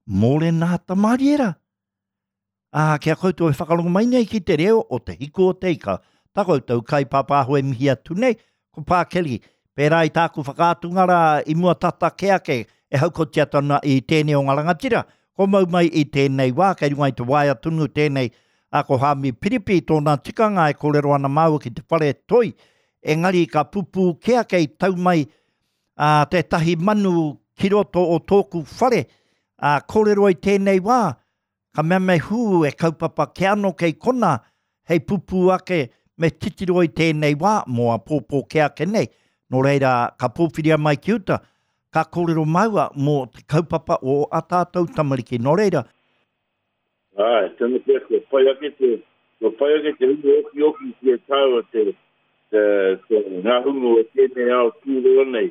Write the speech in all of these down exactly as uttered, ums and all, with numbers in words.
Mōrena Tamariera. Ā, kia koutou e whakarongo mai nei ki te reo o te hiku o te ika. Tā koutou kai pāpāho e mihi atu nei, ko Pākeli. Pērā i tāku whakaatunga rā i mua tata ke ake e haukotia tana i tēnei o ngā rangatira. Ko mau mai i tēnei wā, kei runga i te waea tunu tēnei a ko Hāmi Piripi tōna tikanga e kōrero ana māua ki te whare toi. Engari ka pupū ke ake i tau mai a, tētahi manu ki roto o tōku whare. A, kōrero i tēnei wā, ka mea me hū e kaupapa ke ano kei kona, hei pupū ake me titiro i tēnei wā, mō a pōpō ke ake nei. Nō reira, ka pōwhiria mai ki uta, ka kōrero maua mō te kaupapa o a tātou tamariki. Nō reira. Ai, tēnā pea, kua pai ake te, kua pai ake te hunga oki oki ki e tāua te, te, te ngā hunga o tēnei ao tūroa nei.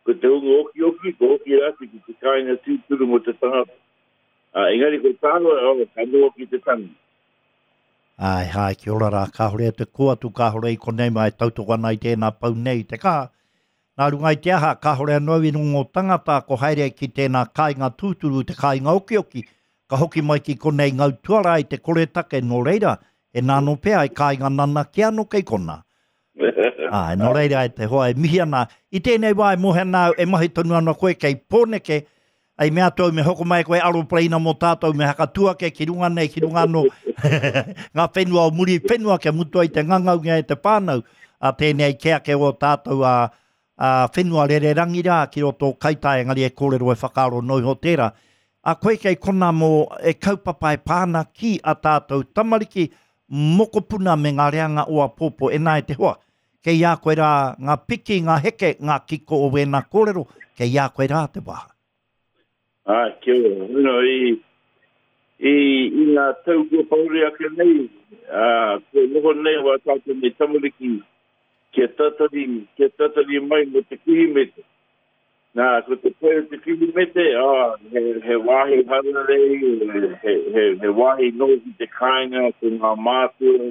Ko te hunga oki oki, ko oki rātou ki te kāinga tūturu mō te tangata. Uh, engari ko tāua, oh, ka noho ki te tangi. Ai, hai, ki ora rā, kāhore te ko atu, kāhore i konei mai tautoko ana i tēnā pau nei te kaha. Nā runga i te aha, kāhore anō i rongo tangata ko haere ki tēnā kāinga tūturu, te kāinga okioki, ka hoki mai ki konei ngau tuara i te koretake nō reira, e nāno pea e kāinga nana ki anō kei kona. Ai, nō reira e te hoa e mihi ana. I tēnei wā e mohe ana au, e mahi tonu ana koe kei Pōneke, ai mea tau me hoko mai koe aropareina mō tātou me hakatuake ki runga nei, ki runga anō ngā whenua o muri whenua kia mutu ai te ngangaunga e te whānau a tēnei ke ake o tātou a, a whenua rererangi rā ki roto o Kaitaia, engari e kōrero e whakaaro noi ho tērā. A koe kei kona mō e kaupapa e pāna ki a tātou tamariki, mokopuna me ngā reanga o a pōpō e nā e te hoa. Kei a koe rā ngā piki, ngā heke, ngā kiko o wēnā kōrero, kei a koe rā te wāha. Ah, kia ora. You know, i, i, i ngā tau kua pahure ake nei, uh, kua noho nei wā tātou nei tamariki kia tatari, kia tatari mai mo te Kirihimete. Nā, ko te pai o te Kirihimete, ah, he, he wāhi hararei, he, he, he wāhi noho ki te kāinga, ko ngā mātua,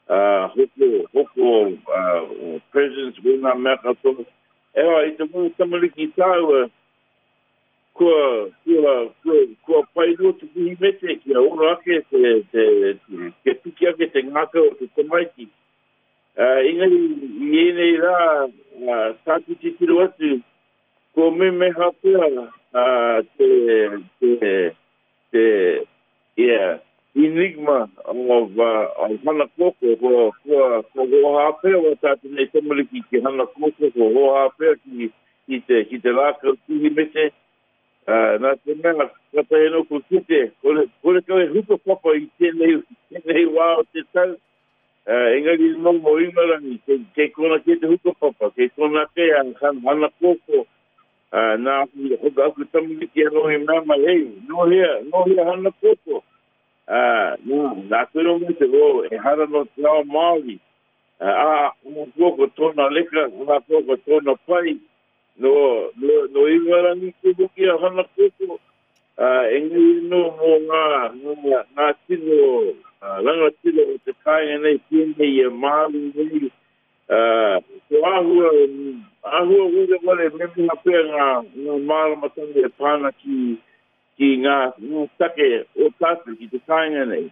uh, hoko, hoko uh, presents, wēnā mea katoa. Ewa, i te wā tamariki tāua, kua, kua, kua, kua pai noa te Kirihimete kia ora ake te, te, te, kia piki ake te ngākau o te tamaiti. Uh, engari, i ēnei rā, uh, tāku titiro atu, ko memeha pea uh, te, te, te, yeah, enigma of, uh, of Hana Koko, kua, kua, kua hoha pea wa tātou nei tamariki ki Hana Koko, kua hoha pea ki, ki te, ki te rākau Kirihimete. Uh, nā te mea, ka tae anō ko kite, kore, kore kau e hukapapa i tēnei, tēnei wā o te tau, uh, engari nō mō Ingarangi, kei, kei kona ke te hukapapa, kei kona ke a Hana Koko, uh, nā aku, aku, aku tamariki anō i mea mai, hei, nō hea, nō hea Hana Koko. Uh, nā, nā kuro mai te, oh, e hara no te ao Māori, uh, a, Hana Koko tōna leka, Hana Koko tōna pai, no, no, no Ingarangi ke hoki a Hana Koko, uh, engari nō mō ngā, ngā, ngā tino uh, rangatira o te kāinga nei, pēnei e Māori nei, uh, ko āhua, āhua ware ware memeha pea ngā, ngā māramatanga e pāna ki, ki ngā, ngā take o tātou ki te kāinga nei.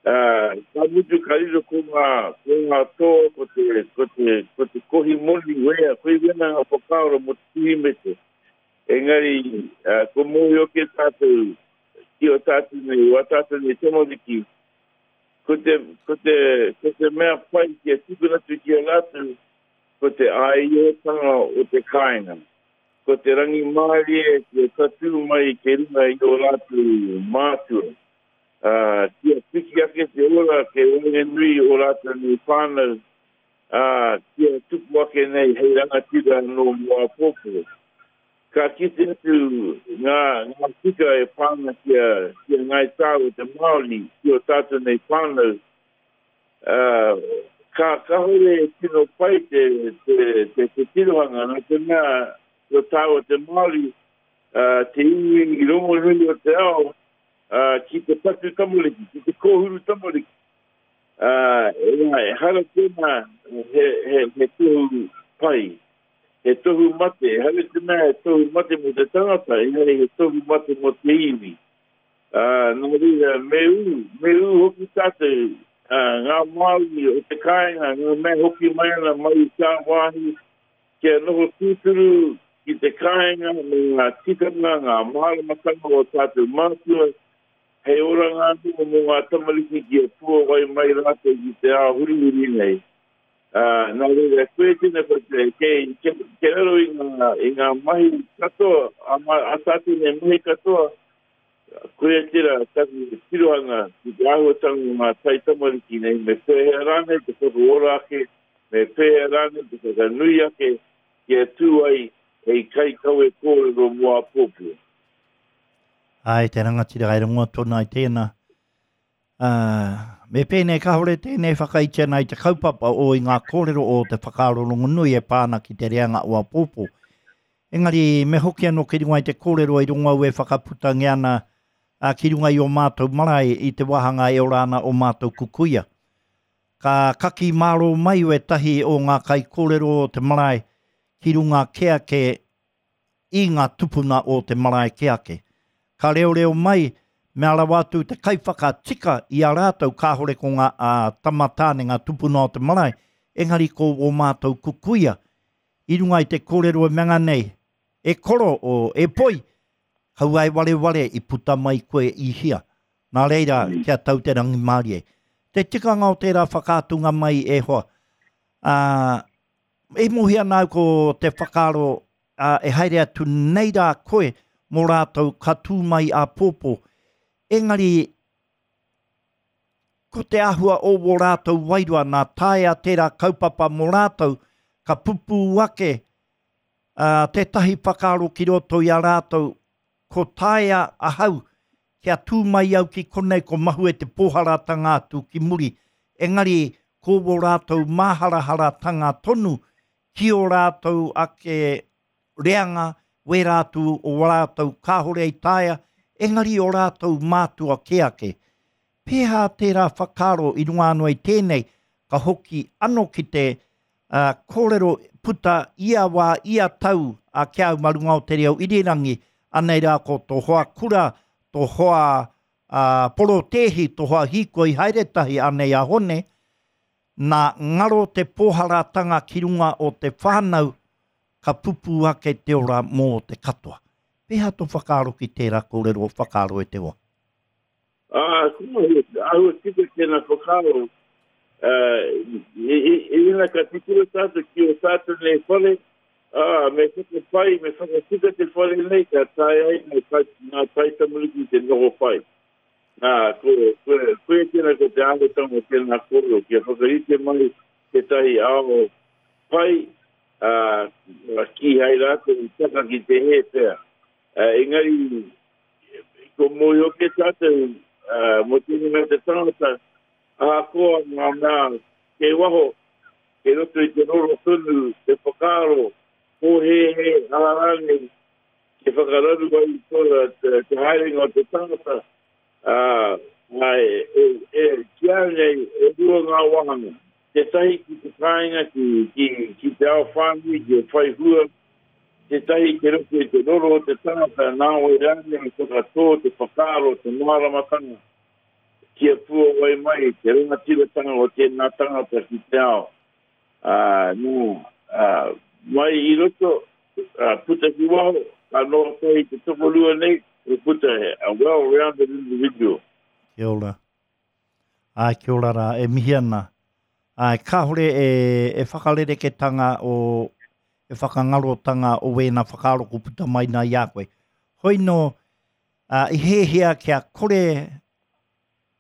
Uh, ka mutu ka riro ko ngā, ko ngā toa, ko te, ko te, ko te kohi moni wea, kohi wena ngā whakaaro mō te Kirihimete. Engari, uh, ko mōhio ke tātou, ki o tātou nei, o tātou nei tamariki, ko te, ko te, ko te mea pai kia tukuna atu ki a rātou, ko te āiotanga o te kāinga. Ko te rangimārie kia tatū mai ke runga i o rātou mātua. Uh, kia piki ake te ora ke waenganui o rātou nei whānau, uh, kia tupu ake nei hei rangatira nō mō āpōpō. Ka kite atu ngā, ngā tika e pāna kia, kia ngai tāu te Māori, ki o tātou nei whānau, uh, ka kahore e tino pai te, te, te, te tirohanga, nā te mea ko tāua te Māori, uh, te iwi i rongonui o te ao, uh, ki te patu tamariki, ki te kōhuru tamariki. Uh, e, e hara tēnā he, he, he tohu pai. he tohu mate, ehara i te mea he tohu mate mō te tangata, engari he tohu mate mō te iwi. Uh, nō reira, me ū, me ū hoki tātou, uh, ngā Māori o te kāinga, ngā mea hoki mai ana mai i tāwāhi, kia noho tūturu ki te kāinga me ngā tikanga, ngā māramatanga o tātou mātua, hei oranga anō mō ngā tamariki kia puawai mai rātou ki te ao hurihuri nei. Uh, nā reira, koe tēnā ko te, kei, kei, kei raro i ngā, i ngā mahi katoa, a, a tātou nei mahi katoa, koe tērā taku tirohanga ki te āhuatanga o ngā taitamariki nei, me pēhea rānei te whakaora ake, me pēhea rānei te whakanui ake, kia tū ai hei kaikawe kōrero mō āpōpō. Ai, te rangatira, ai rongoa tōna i tēnā. Uh, me pēnei kāore tēnei whakaitia nei te kaupapa o i ngā kōrero o te whakaaro rongonui e pā ana ki te reanga o āpōpō. Engari, me hoki anō ki runga i te kōrero i rongo au e whakaputangia ana uh, ki runga i o mātou marae i te wāhanga e ora ana o mātou kukuia. Ka kaki māro mai wētahi o ngā kaikōrero o te marae ki runga ke ake i ngā tupuna o te marae ke ake. Ka reoreo mai, mea rawa atu te kaiwhakatika i a rātou kāhore ko ngā uh, tamatāne, ngā tupuna o te marae, engari ko o mātou kukuia. I runga i te kōrero e mea nei, e koro o e poi, kaua e wareware i puta mai koe i hia. Nā reira, kia tau te rangimārie. Te tikanga o tērā whakaatunga mai e hoa. Uh, e mohi ana au ko te whakaaro uh, e haere atu nei rā koe mō rātou ka tū mai āpōpō. Engari, ko te āhua o wō rātou wairua nā taea tērā kaupapa mō rātou, ka pupū ake uh, tētahi whakaaro ki roto i a rātou, ko taea ahau kia tū mai au ki konei ko mahue te pōharatanga atu ki muri. Engari, ko wō rātou māharaharatanga tonu ki o rātou ake reanga, wērā atu o rātou kāhore i taea, engari o rātou mātua ke ake. Pēhā tērā whakaaro i runga anō i tēnei, ka hoki anō ki te uh, kōrero puta ia wā, ia tau a kia au marunga o te reo irirangi, anei rā ko tō hoa kura, tō hoa uh, porotēhi, tō hoa hīkoi haere tahi anei a Hone, nā ngaro te pōharatanga ki runga o te whānau, ka pupū ake te ora mō te katoa. Pēhā tō whakaaro ki tērā kōrero whakaaro e te hoa? Ah, āhua tika tēnā whakaaro. Uh, i, i, i ina ka titiro tātou ki o tātou nei whare, ah, me whakapai, me whakatika te whare nei, ka tae ai ngā tai, ngā taitamariki te noho pai. Nā, ko, ko, koe tēnā ko te āhuatanga o tēnā kōrero, kia whakarite mai tētahi ao pai, uh, kīhai rātou i taka ki te hē pea. Uh, engari, ko mōhio ke tātou, uh, mō tēnei mea te tangata, ahakoa ngā mea kei waho, kei roto i te roro tonu, te whakaaro, pōhēhē, aha rānei, te whakararu ai i tōna te, te haerenga o te tangata, uh, ai, e, e, ki au nei, e rua ngā wāhanga. Tētahi ki te kāinga, ki, ki, ki te ao whānui, ki whai hua, tētahi ki roto i te roro o te tangata, nā wai rānei i whakatō, te whakaaro, te māramatanga, kia puawai mai te rangatiratanga o tēnā tangata ki te ao. Uh, nō, uh, mai i roto, uh, puta ki waho, ka noho tahi te tokorua nei, e puta a well-rounded individual. Kia ora. Ai, kia ora rā, e mihi ana. Ai, kāhore e, e whakarereketanga o, e whakangarotanga o wēnā whakaaro ko puta mai nā i a koe. Hoi nō, uh, i hēhia kia kore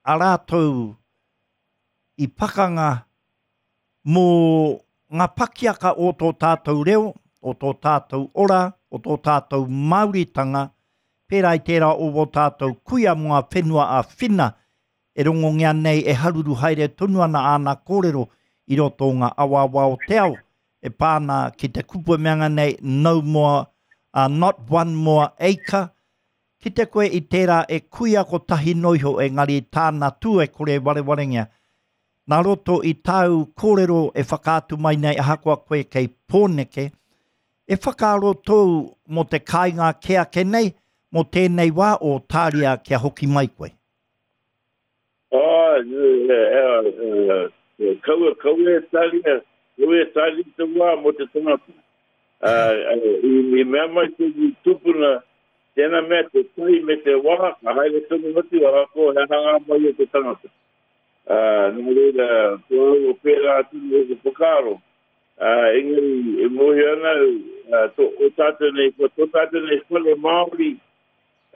a rātou i pakanga mō ngā pakiaka o tō tātou reo, o tō tātou ora, o tō tātou Māoritanga, pērā i tērā o wō tātou kuia mō ngā whenua a Whina, e rongongia nei e haruru haere tonu ana āna kōrero i roto o ngā awaawa o te ao, e pā ana ki te kupu e mea nei, no more, uh, not one more acre, ki te koe i tērā e kuia kotahi noiho engari tāna tū e kore warewarengia. Nā roto i tāu kōrero e whakaatu mai nei ahakoa koe kei Pōneke, E whakaaro tōu mō te kāinga kē ake nei, mō tēnei wā o tāria kia hoki mai koe? Ah, kaua, kaua e tāria, kaua e tāria te wā mō te tangata. I mea mai te tupuna, tēnā mea te tai me te wā, ka haere tonu atu, ahakoa he hanga mai o te tangata. Nā reira, ko au o pērā atu o te whakaaro. Engari, e mōhio ana, o tātou nei, ko tō tātou nei whare Māori,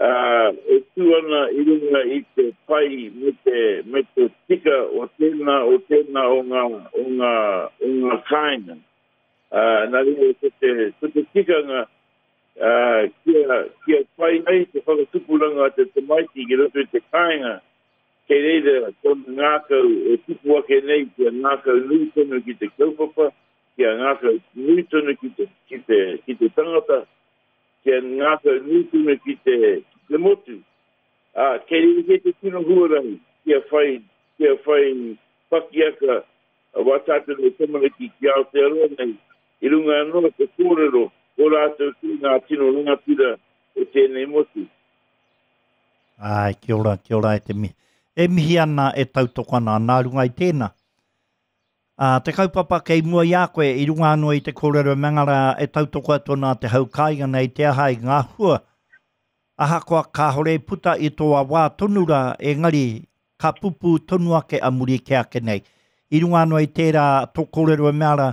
e tū ana i runga i te pai me te, me te tika o tēnā, o tēnā o ngā, o ngā, o ngā kāinga. Nā reira, ko te, ko te tikanga, kia, kia pai ai te whakatupuranga a te tamaiti ki roto i te kāinga, kei reira tōna ngākau e tipu ake nei, kia ngākau nui tonu ki te kaupapa, kia ngākau nui tonu ki te, ki te, ki te tangata, kia ngākau nui tonu ki te, ki te motu. Uh, kei reira kei te tino huarahi, kia whai, kia whai pakiaka wā tātou nei tamariki ki Aotearoa nei, i runga anō te kōrero o rātou ki ngā tino rangatira o tēnei motu. Ai, kia ora, kia ora e te mihi. E mihi ana, e tautoko ana, nā runga i tēnā. Uh, te kaupapa kei mua i a koe, i runga anō i te kōrero mangara e tautoko atu ana te hau kāinga nei te aha i ngā hua. Ahakoa kāhore i puta i tō wā tonu rā, engari ka pupu tonu ake a muri ke ake nei. I runga anō i tērā tō kōrero e mea rā,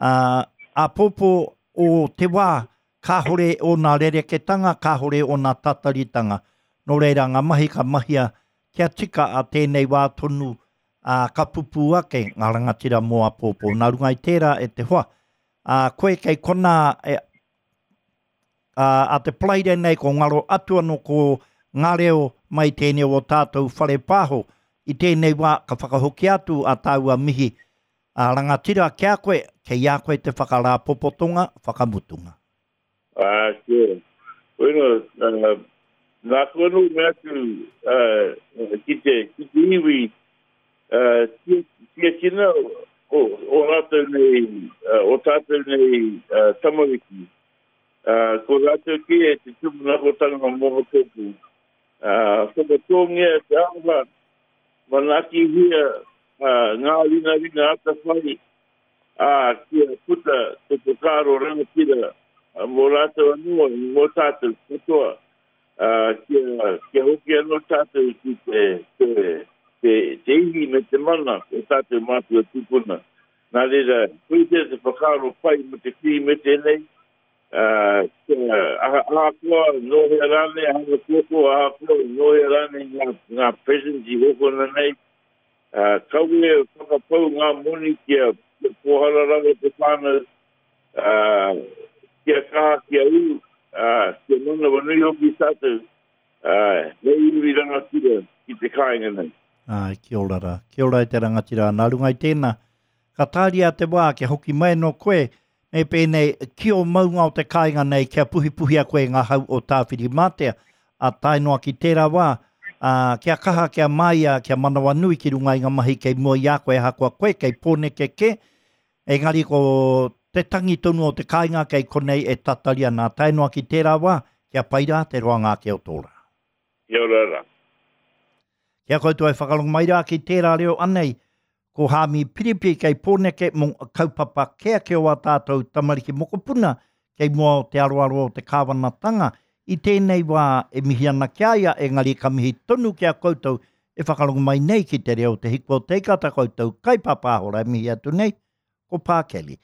uh, āpōpō o te wā, kāhore ōna rereketanga, kāhore ōna tataritanga. Nō reira ngā mahi ka mahia kia tika a tēnei wā tonu, uh, ka pupu ake ngā rangatira mō āpōpō. Nā runga i tērā e te hoa. Uh, koe kei konā e, uh, a te Paraire nei ko ngaro atu anō ko ngā reo mai tēnei o tātou whare pāho. I tēnei wā ka whakahoki atu a tāua mihi a rangatira kia koe, kei a koe te whakarāpopotonga, whakamutunga. Ah, kia. Bueno, uh, nā koe anō me atu uh, ki te, ki te iwi uh, tiakina o, o rātou nei, uh, o tātou nei uh, tamariki. Uh, ko rātou ki e te tūmanakotanga mō tōpū. Uh, whakatōngia te aroha, manaakihia uh, ngā ringaringa atawhai, uh, kia puta te whakaaro rangatira uh, mō rātou anō, mō tātou katoa, uh, kia, kia hoki anō tātou ki te, te, te, te ihi me te mana o tātou mātua tūpuna. Nā reira, koe te te whakaaro pai mo te Kirihimete nei, uh, kia ahakoa nō hea rānei, hanga kōkō, ahakoa nō hea rānei ngā, ngā presents i hokona nei, uh, kaua e whakapau ngā moni kia, kia pōhara rawa te whānau, uh, kia kaha, kia ū, uh, kia manawanui hoki tātou, uh, hei iwi rangatira ki te kāinga nei. Ai, kia ora rā. Kia ora e te rangatira. Nā runga i tēnā, ka tāria te wā kia hoki mai no koe, me pēnei ki o maunga o te kāinga nei kia puhipuhia koe ngā hau o Tāwhirimātea, a tae noa ki tērā wā, a, kia kaha, kia māia, kia manawanui ki runga i ngā mahi kei mua i a koe, ahakoa koe, kei Pōneke kē, engari ko te tangi tonu o te kāinga kei konei e tatari ana, tae noa ki tērā wā, kia pai rā te roanga ake o tō rā. Kia ora rā. Kia koutou e whakarongo mai rā ki tērā reo anei, ko Haami Piripi kei Pōneke mō kaupapa kē ake o a tātou tamariki mokopuna kei mua o te aroaro o te kāwanatanga. I tēnei wā e mihi ana ki a ia, engari ka mihi tonu ki a koutou e whakarongo mai nei ki te reo te hiko o te ika, tā koutou kaipāpāhora e mihi atu nei, ko Pā Kelly.